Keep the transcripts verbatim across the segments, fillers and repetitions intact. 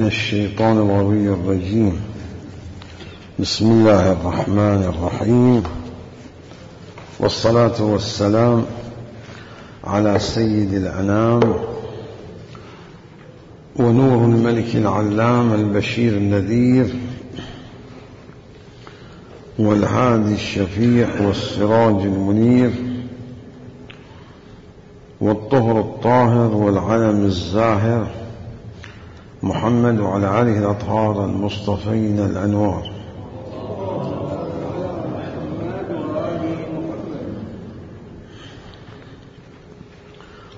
الشيطان الغوي الرجيم. بسم الله الرحمن الرحيم، والصلاة والسلام على سيد الأنام ونور الملك العلام البشير النذير والهادي الشفيع والسراج المنير والطهر الطاهر والعلم الزاهر محمد وعلى آله الأطهار المصطفين الأنوار.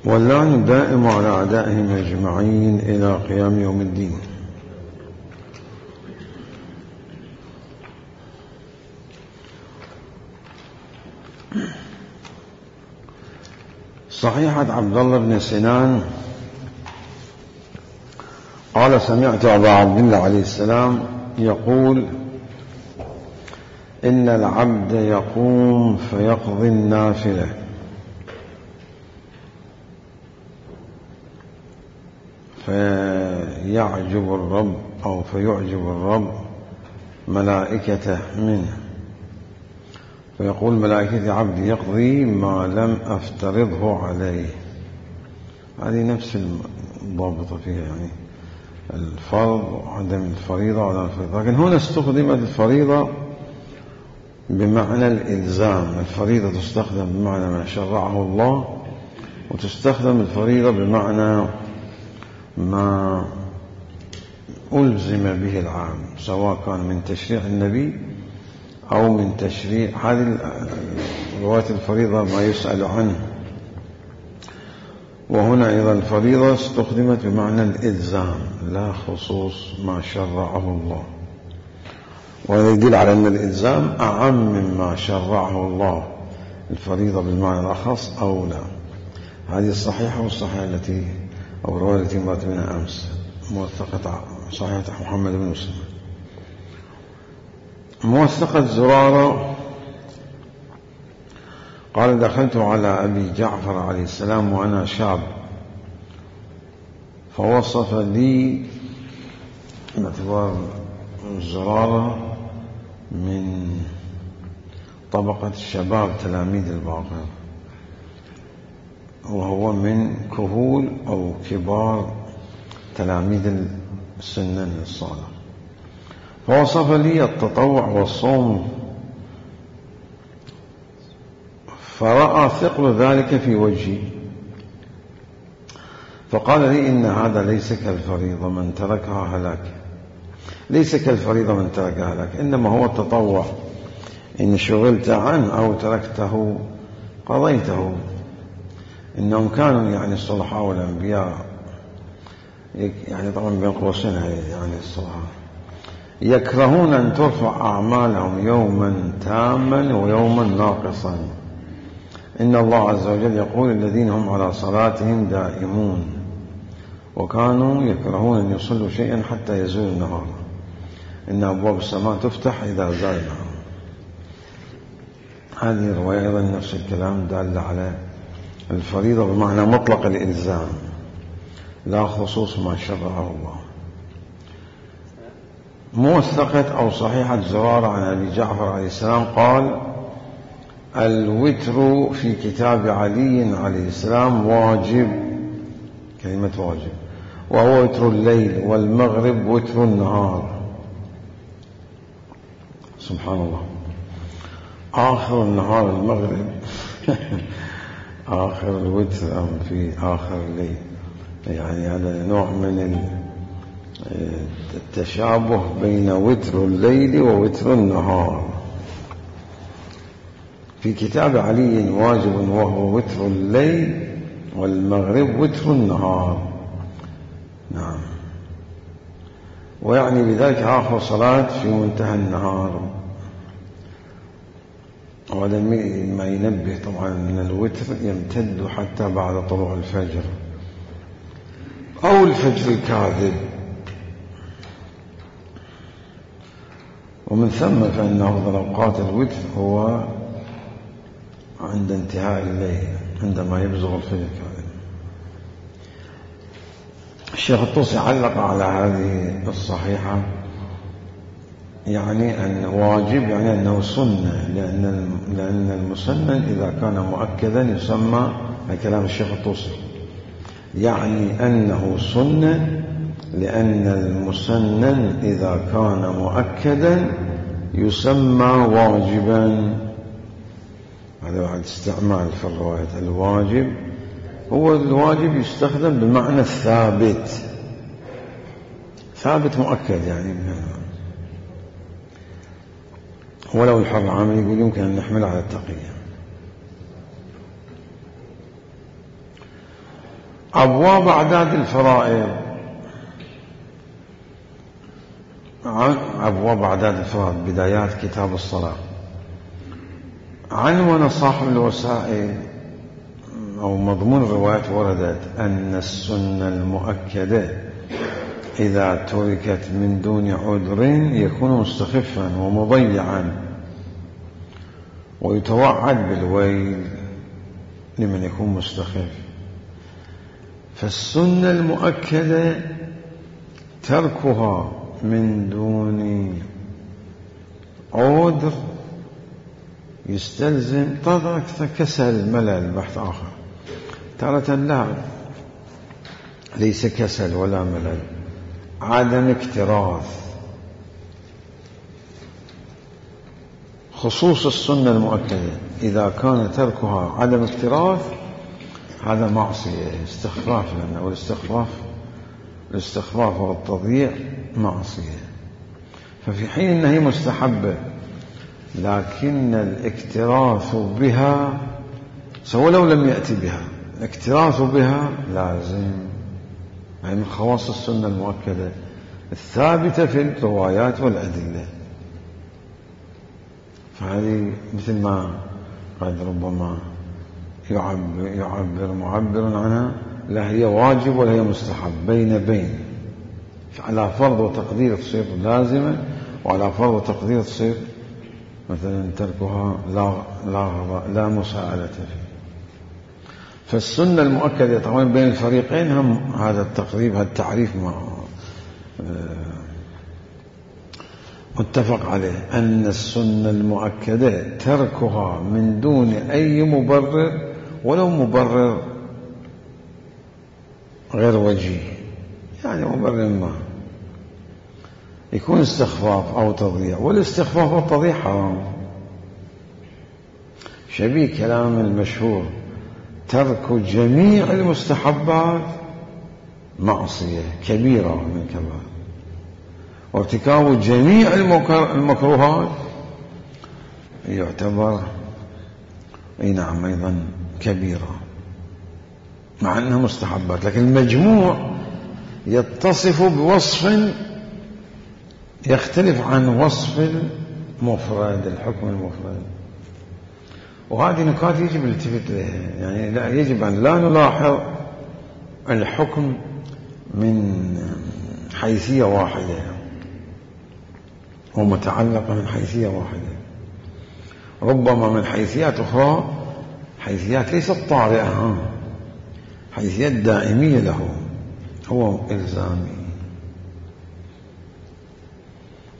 واللعن دائم على أعدائهم أجمعين إلى قيام يوم الدين. صحيحة عبد الله بن سنان قال: سمعت أبا عبد الله عليه السلام يقول: إن العبد يقوم فيقضي النافلة فيعجب الرب أو فيعجب الرب ملائكته منه، فيقول ملائكة عبدي يقضي ما لم أفترضه عليه. هذه نفس الضابطة فيها، يعني الفرض وعدم الفريضة ولا الفريضة، لكن هنا استخدمت الفريضة بمعنى الإلزام. الفريضة تستخدم بمعنى ما شرعه الله، وتستخدم الفريضة بمعنى ما ألزم به العام، سواء كان من تشريع النبي أو من تشريع هذه رواية الفريضة ما يسأل عنه. وهنا أيضا الفريضة استخدمت بمعنى الإلزام لا خصوص ما شرعه الله، وهذا يدل على أن الإلزام أعم مما شرعه الله، الفريضة بالمعنى الأخص أولى. هذه الصحيحة والصحيحة التي أو الرواية التي مرت منها أمس موثقة صحيحة محمد بن مسلم. موثقة زرارة قال: دخلت على أبي جعفر عليه السلام وأنا شاب، فوصف لي، باعتبار زرارة من طبقة الشباب تلاميذ الباقر، وهو من كهول أو كبار تلاميذ السنن الصالح، فوصف لي التطوع والصوم، فرأى ثقل ذلك في وجهي، فقال لي: إن هذا ليس كالفريضة من تركها هلاك. ليس كالفريضة من تركها هلاك، إنما هو التطوع، إن شغلت عنه أو تركته قضيته. إنهم كانوا يعني الصلحاء والأنبياء، يعني طبعا بين قوسين يعني الصلحاء، يكرهون أن ترفع أعمالهم يوما تاما ويوما ناقصا. إن الله عز وجل يقول: الذين هم على صلاتهم دائمون، وكانوا يكرهون أن يصلوا شيئا حتى يزول النهار. إن أبواب السماء تفتح إذا زال النهار. هذه الرواية أيضا نفس الكلام دال على الفريضة بمعنى مطلق الإلزام لا خصوص ما شرعه الله. موثقة أو صحيحة زرارة عن أبي جعفر عليه السلام قال: الوتر في كتاب علي عليه السلام واجب، كلمة واجب، وهو وتر الليل، والمغرب وتر النهار. سبحان الله، آخر النهار المغرب آخر الوتر أم في آخر الليل، يعني هذا نوع من التشابه بين وتر الليل ووتر النهار. في كتاب علي واجب وهو وتر الليل، والمغرب وتر النهار. نعم، ويعني بذلك آخر صلاة في منتهى النهار. وهذا ما ينبه طبعا أن الوتر يمتد حتى بعد طلوع الفجر أو الفجر الكاذب، ومن ثم فإن أفضل أوقات الوتر هو عند انتهاء الليل، عندما يبزغ الفجر الكاذب. الشيخ الطوسي علق على هذه الصحيحة، يعني أن واجب يعني أنه سنة، لأن لأن المسنن إذا كان مؤكدا يسمى، كلام الشيخ الطوسي، يعني أنه سنة لأن المسنن إذا كان مؤكدا يسمى واجبا. هذا واحد استعمال في الرواية. الواجب هو الواجب يستخدم بمعنى الثابت، ثابت مؤكد يعني. ولو الحر عامل يقول يمكن أن نحمل على التقية. أبواب أعداد الفرائض. أبواب أعداد الفرائض، بدايات كتاب الصلاة. عنوان صاحب الوسائل أو مضمون الروايات وردت أن السنة المؤكدة إذا تركت من دون عذر يكون مستخفا ومضيعا، ويتوعد بالويل لمن يكون مستخف. فالسنة المؤكدة تركها من دون عذر يستلزم طبعا كسل، ملل، بحث آخر. تارة لا، ليس كسل ولا ملل، عدم اكتراث. خصوص السنة المؤكدة إذا كان تركها عدم اكتراث هذا معصية، استخفاف، لأنه الاستخفاف الاستخفاف والتضييع معصية. ففي حين أنها هي مستحبة لكن الاكتراث بها سواء لو لم يأتي بها، الاكتراث بها لازم، يعني من خواص السنة المؤكدة الثابتة في الروايات والأدلة. فهذه مثل ما قد ربما يعبر, يعبر معبر عنها، لا هي واجب ولا هي مستحب، بين بين، على فرض وتقدير تصير لازمة، وعلى فرض وتقدير تصير مثلا تركها لا لا لا مساءلة فيه. فالسنة المؤكدة طبعا بين الفريقين هم هذا التقريب، هذا التعريف متفق عليه، أن السنة المؤكدة تركها من دون أي مبرر، ولو مبرر غير وجيه، يعني مبرر ما يكون استخفاف أو تضييع، والاستخفاف والتضييع حرام. شبيه كلام المشهور ترك جميع المستحبات معصية كبيرة من كبائر، وارتكاب جميع المكروهات يعتبر اي نعم ايضا كبيرة مع انها مستحبات، لكن المجموع يتصف بوصف يختلف عن وصف المفرد، الحكم المفرد. وهذه نكات يجب الالتفات لها، يعني لا يجب أن لا نلاحظ الحكم من حيثية واحدة ومتعلقة من حيثية واحدة، ربما من حيثيات أخرى، حيثيات ليست طارئة، حيثيات دائمية له، هو إلزامي.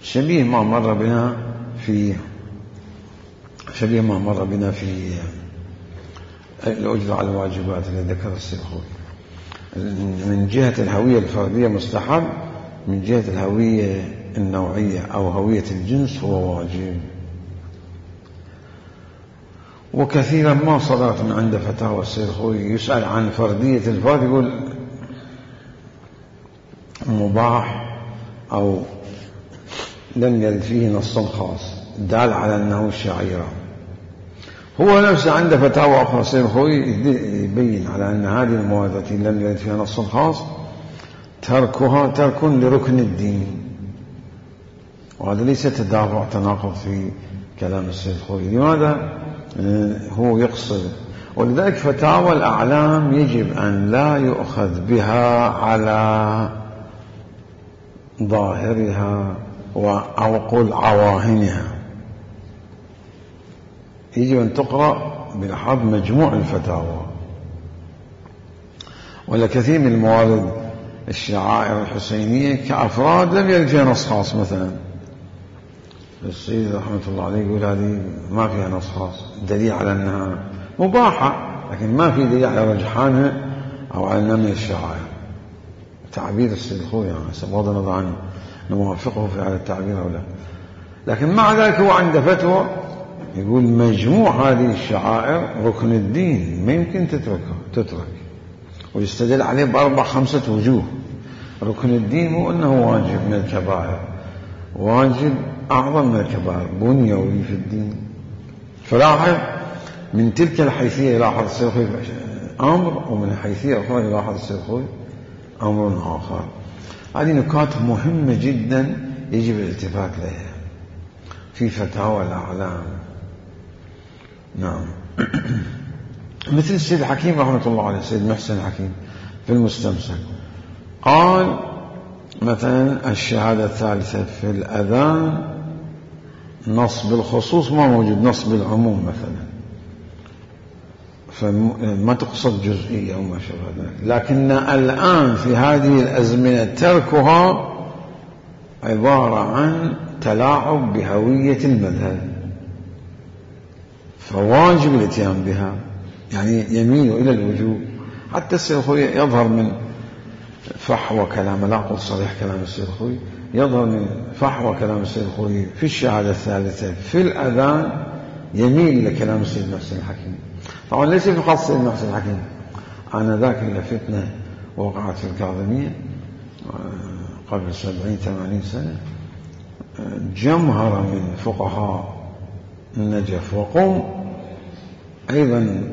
شبيه ما مر بنا في شبيه ما مر بنا في الأجرة على الواجبات التي ذكر السيخوي. من جهة الهوية الفردية مستحب، من جهة الهوية النوعية أو هوية الجنس هو واجب. وكثيرا ما صدرت من عند فتاوى السيخوي يسأل عن فردية الفرد يقول مباح أو لم يرد فيه نص خاص دال على أنه شعيرة. هو نفسه عند فتاوى أخرى السيخوي يبين على أن هذه المواد التي لم يرد فيها نص خاص تركها ترك لركن الدين، وهذا ليس تدافع تناقض في كلام السيخوي. لماذا هو يقصد؟ ولذلك فتاوى الأعلام يجب أن لا يؤخذ بها على ظاهرها أو قل عواهنها، يجب أن تقرأ بلحاظ مجموع الفتاوى. ولا كثير من الموارد الشعائر الحسينية كأفراد لم يرد فيها نص خاص. مثلا السيد رحمة الله عليه يقول هذه ما فيها نص خاص، دليل على أنها مباحة، لكن ما في دليل على رجحانها أو على أنها من الشعائر. تعبير السيد الخوي يعني بغض النظر عنه نوافقه في هذا التعبير أو لا، لكن مع ذلك هو عنده فتوى يقول مجموع هذه الشعائر ركن الدين، ما يمكن تتركها تترك، ويستدل عليه بأربع خمسة وجوه. ركن الدين مو أنه واجب من الكبائر، واجب أعظم من الكبائر، بنيوي في الدين. فلاحظ من تلك الحيثية يلاحظ السيد الخوي أمر، ومن الحيثية أخرى يلاحظ السيد الخوي أمر آخر. هذه نكات مهمة جدا يجب الالتفات لها في فتاوى الأعلام. نعم. مثل السيد الحكيم رحمة الله عليه، السيد محسن الحكيم في المستمسك قال مثلا الشهادة الثالثة في الأذان نص بالخصوص ما موجود، نص بالعموم مثلا، فما تقصد جزئية أو ما شابه ذلك، لكن الآن في هذه الأزمنة تركها عبارة عن تلاعب بهوية المذهب، فواجب الاتيان بها، يعني يميل إلى الوجوب. حتى السيد الخوي يظهر من فحوى كلام، لا أقول صريح كلام السيد الخوي، يظهر من فحوى كلام السيد الخوي في الشهادة الثالثة في الأذان يميل لكلام السيد محسن الحكيم. طبعا ليس في خاص السيد محسن الحكيم، أنا ذاك اللي فتنة وقعت في الكاظمية قبل سبعين ثمانين سنة، جمهرة من فقهاء النجف وقوم أيضا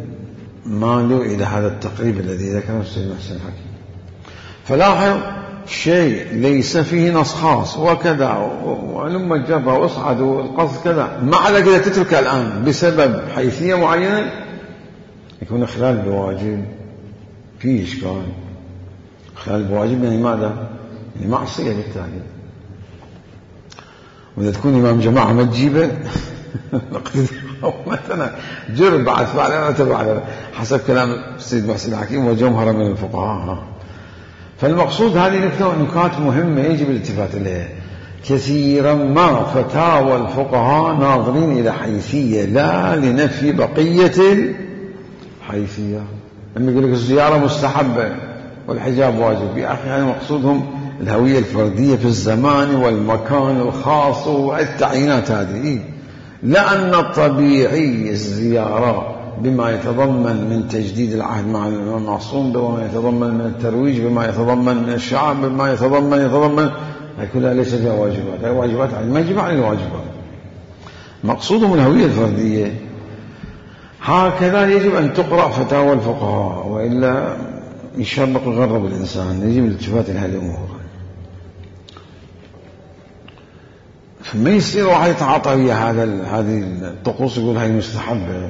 مالوا إلى هذا التقريب الذي ذكره السيد محسن الحكيم. فلاحظ شيء ليس فيه نص خاص وكذا ولما الجبهة واصعد والقصد كذا، مع ذلك إذا تترك الآن بسبب حيثية معينة يكون خلال بواجب، فيه إشكال. خلال بواجب يعني ماذا؟ يعني معصية بالتالي. وإذا تكون إمام جماعة ما تجيبه مثلا جرب بعد فعلا وتبع حسب كلام السيد محسن الحكيم وجمهرة من الفقهاء. فالمقصود هذه نكات مهمة يجب الالتفات إليها. كثيرا ما فتاوى الفقهاء ناظرين إلى حيثية لا لنفي بقية الحيثية. لما يقول لك الزيارة مستحبة والحجاب واجب، يا أخي هذا مقصودهم الهوية الفردية في الزمان والمكان الخاص والتعيينات هذه، لأن الطبيعي الزيارة بما يتضمن من تجديد العهد مع المعصوم، بما يتضمن من الترويج، بما يتضمن من الشعب، بما يتضمن يتضمن كلها ليس فيها واجبات، هي واجبات ما يجب عن الواجبات. مقصودهم الهوية الفردية. هكذا يجب أن تقرأ فتاوى الفقهاء، وإلا يشرق ويغرب الإنسان. يجب الالتفات إلى هذه الأمور. فما يصير واحد يتعاطى ويا هذا هذه الطقوس يقول هاي مستحبة،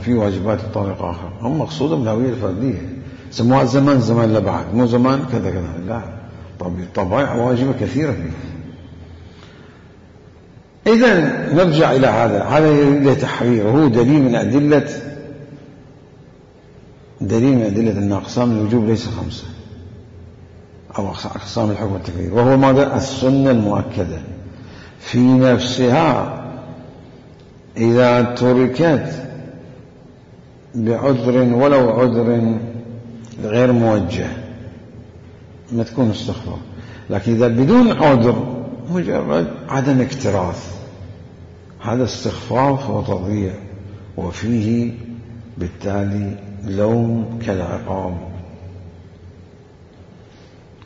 في واجبات بطريقة أخرى. هم مقصودهم الهوية الفردية، سموها زمان زمان لبعد، مو زمان كذا كذا، لا، طبيعة واجبة كثيرة فيه. إذن نرجع إلى هذا هذا إلى تحرير، هو دليل من أدلة دليل من أدلة أن أقسام الوجوب ليس خمسة أو أقسام الحكم والتكفير، وهو ماذا؟ السنة المؤكدة في نفسها إذا تركت بعذر ولو عذر غير موجه ما تكون استغفار، لكن إذا بدون عذر مجرد عدم اكتراث هذا استخفاف وتضييع، وفيه بالتالي لوم كالعقاب.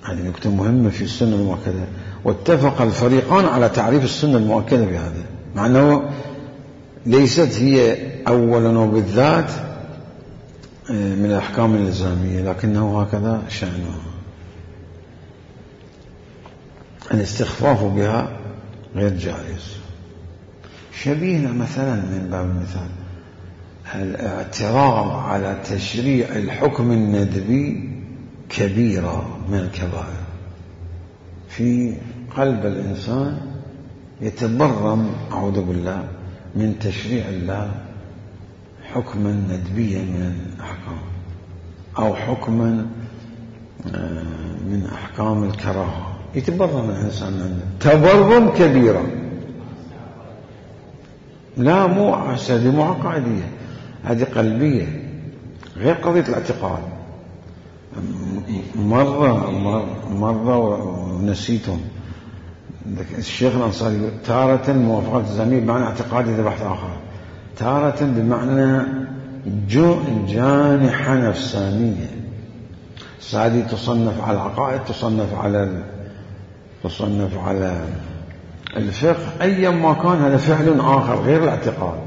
هذه نكتة مهمة في السنة المؤكدة، واتفق الفريقان على تعريف السنة المؤكدة بهذا، مع أنه ليست هي أولا وبالذات من الأحكام الإلزامية، لكنه هكذا شأنها. الاستخفاف بها غير جائز. شبيهنا مثلا من باب المثال الاعتراض على تشريع الحكم الندبي كبيرة من الكبائر. في قلب الإنسان يتبرم أعوذ بالله من تشريع الله حكما ندبيا من الأحكام، أو حكما من أحكام الكراهة يتبرم الإنسان عنه تبرم كبيرة. لا مو هذه مو عقائدية، هذه قلبية غير قضية الاعتقاد. مرة مرة ونسيتم الشيخ الأنصاري تارة موافقة الزميل بمعنى اعتقادي هذا بحث آخر، تارة بمعنى جانحة نفسانية. هذه تصنف على العقائد، تصنف على تصنف على الفقه، أيا ما كان هذا فعل آخر غير الاعتقاد.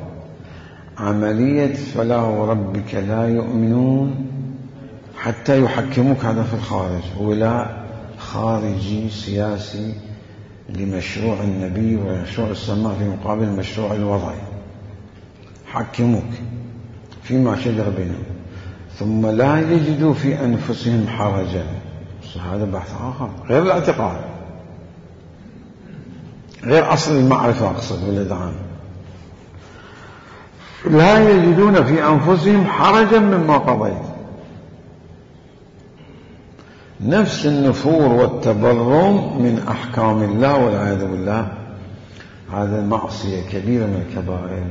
عملية فلا وربك لا يؤمنون حتى يحكموك، هذا في الخارج، ولاء خارجي سياسي لمشروع النبي ومشروع السماء في مقابل المشروع الوضعي. حكموك فيما شجر بينهم ثم لا يجدوا في أنفسهم حرجا. هذا بحث آخر غير الاعتقاد، غير أصل المعرفة أقصد والإدعام. لا يجدون في أنفسهم حرجا مما قضيت. نفس النفور والتبرم من أحكام الله والعياذ بالله، هذا معصية كبيرة من الكبائر،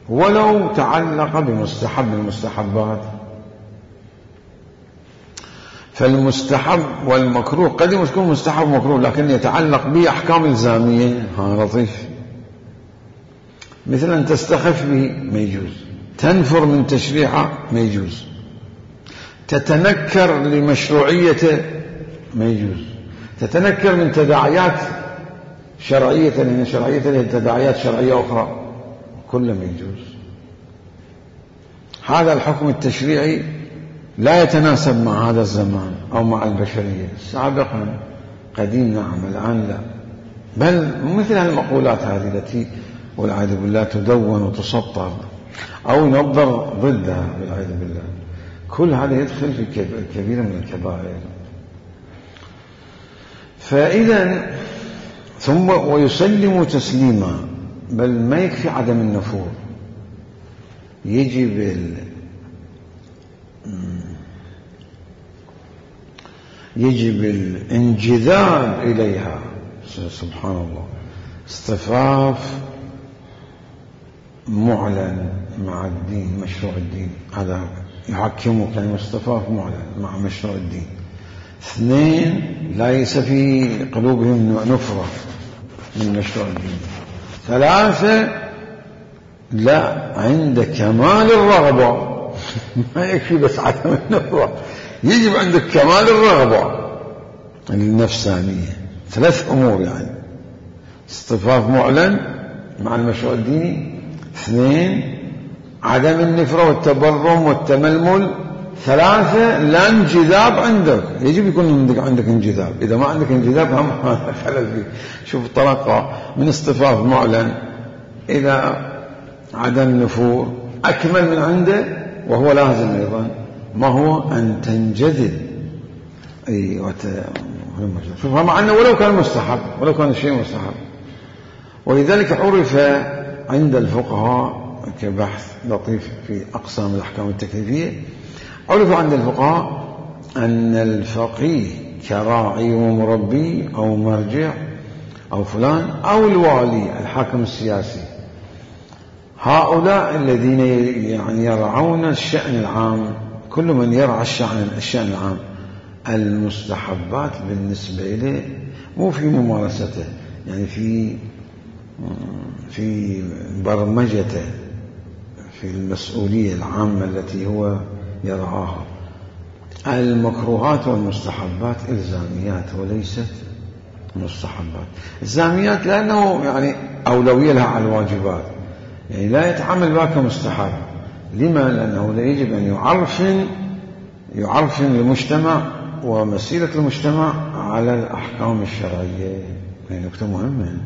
ولو تعلق بمستحب من المستحبات. فالمستحب والمكروه قد يكون مستحب ومكروه لكن يتعلق بأحكام إلزامية، ها لطيف. مثلا تستخف به ما يجوز، تنفر من تشريعه ما يجوز، تتنكر لمشروعيته ما يجوز، تتنكر من تداعيات شرعية لأن شرعية له تداعيات شرعية أخرى، كله ما يجوز. هذا الحكم التشريعي لا يتناسب مع هذا الزمان أو مع البشرية. سابقا قديم نعم، الآن لا. بل مثل المقولات هذه التي والعياذ بالله تدون وتسطر أو ينظر ضدها والعياذ بالله، كل هذا يدخل في كبيرة من الكبائر. فإذا ثم ويسلم تسليما، بل ما يكفي عدم النفور، يجب ال يجب الانجذاب إليها. سبحان الله، اصطفاف معلن مع الدين، مشروع الدين، هذا يحكمه كلمة اصطفاف معلن مع مشروع الدين. اثنين، ليس في قلوبهم نفرة من مشروع الدين. ثلاثة، لا، عند كمال الرغبة ما يكفي بس عدم النفرة، يجب عندك كمال الرغبة النفسانية. ثلاث أمور يعني: اصطفاف معلن مع المشروع الديني، اثنين، عدم النفرة والتبرم والتململ، ثلاثة، لا انجذاب عندك، يجب يكون عندك عندك انجذاب. إذا ما عندك انجذاب هم خلل فيه. شوف الطريقة من اصطفاف معلن إلى عدم نفور أكمل من عنده، وهو لازم أيضا ما هو أن تنجذب. أي وت... شوف، مع أنه ولو كان مستحب، ولو كان الشيء مستحب. ولذلك عرف عند الفقهاء كبحث لطيف في أقسام الأحكام التكليفية، عرف عند الفقهاء أن الفقيه كراعي ومربي أو مرجع أو فلان أو الوالي الحاكم السياسي، هؤلاء الذين يعني يرعون الشأن العام. كل من يرعى الشأن الشأن العام، المستحبات بالنسبة له مو في ممارسته، يعني في في برمجته، في المسؤولية العامة التي هو يرعاها. المكروهات والمستحبات إلزاميات وليست مستحبات. إلزاميات لأنه يعني أولوية لها على الواجبات، يعني لا يتعامل بها كمستحب. لما؟ لأنه لا يجب أن يعرفن يعرفن المجتمع ومسيرة المجتمع على الأحكام الشرعية. يعني نقطة مهمة.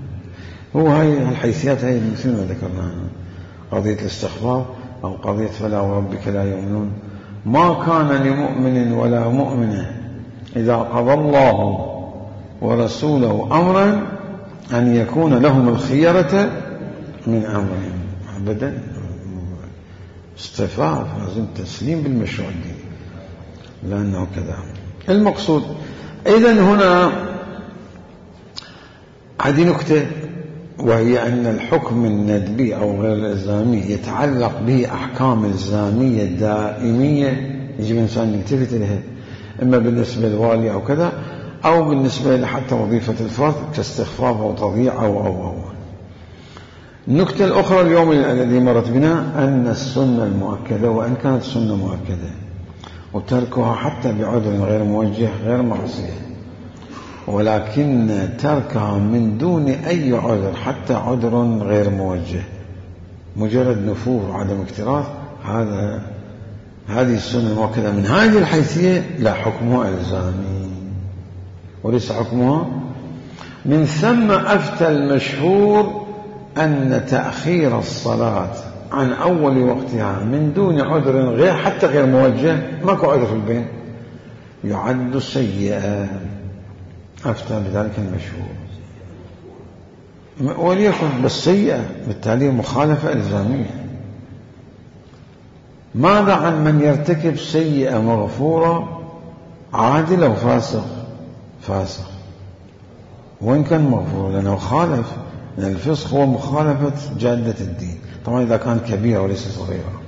هو هاي الحيثيات هاي مثل ما ذكرناها، قضية الاستخبار أو قضية فلا وربك لا يؤمنون. ما كان لمؤمن ولا مؤمنة إذا قضى الله ورسوله أمرا أن يكون لهم الخيرة من أمرهم. أبدا، اصطفاف، لازم تسليم بالمشروع الديني، لأنه كذا. المقصود. إذن هنا هذه نكتة، وهي أن الحكم الندبي أو غير الإلزامي يتعلق به أحكام إلزامية دائمية يجب الإنسان يلتفت إليها، إما بالنسبة للوالي أو كذا، أو بالنسبة لحتى وظيفة الفرد كاستخفاف أو تضييع أو أو أو. النكتة الأخرى اليوم الذي مرت بنا أن السنة المؤكدة، وإن كانت سنة مؤكدة وتركها حتى بعذر غير موجه غير معصية، ولكن تركها من دون أي عذر حتى عذر غير موجه مجرد نفور وعدم اكتراث، هذا هذه السنة المؤكدة من هذه الحيثية لا حكمها إلزامي وليس حكمها. من ثم أفتى المشهور أن تأخير الصلاة عن أول وقتها من دون عذر غير حتى غير موجه، ماكو عذر في البين، يعد سيئا. أفتى بذلك المشهور، وليكن بس سيئة، بالتالي مخالفة إلزامية. ماذا عن من يرتكب سيئة مغفورة عادل أو فاسق؟ فاسق وإن كان مغفور، لأنه خالف، لأن الفسق هو مخالفة جادة الدين، طبعا إذا كان كبيرة وليس صغيرة.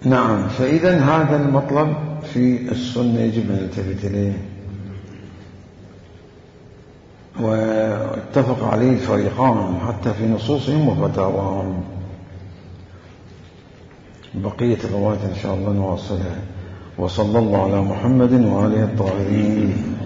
نعم، فإذا هذا المطلب في السنة يجب أن نلتفت إليه، واتفق عليه الفريقان حتى في نصوصهم وفتاواهم. بقية الروايات إن شاء الله نواصلها. وصلى الله على محمد وآله الطاهرين.